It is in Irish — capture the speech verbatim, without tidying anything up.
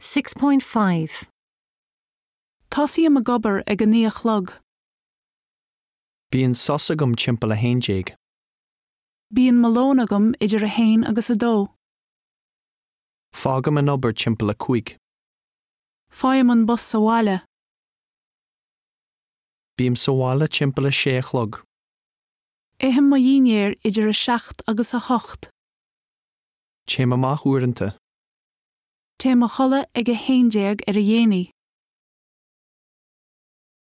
Six point five. Tosaím ag obair ag a naoi a chlog. Bíonn sos agam timpeall a haon déag. Bíonn mo lón agam idir a haon agus a dó. Fágaim an obair timpeall a cúig. Faighim an bus abhaile. Bím sa bhaile timpeall a sé a chlog. Ithim mo dhinnéar idir a seacht agus a hocht. Téim amach uaireanta. Téim a chodladh ag a haon déag ar a dhéanaí.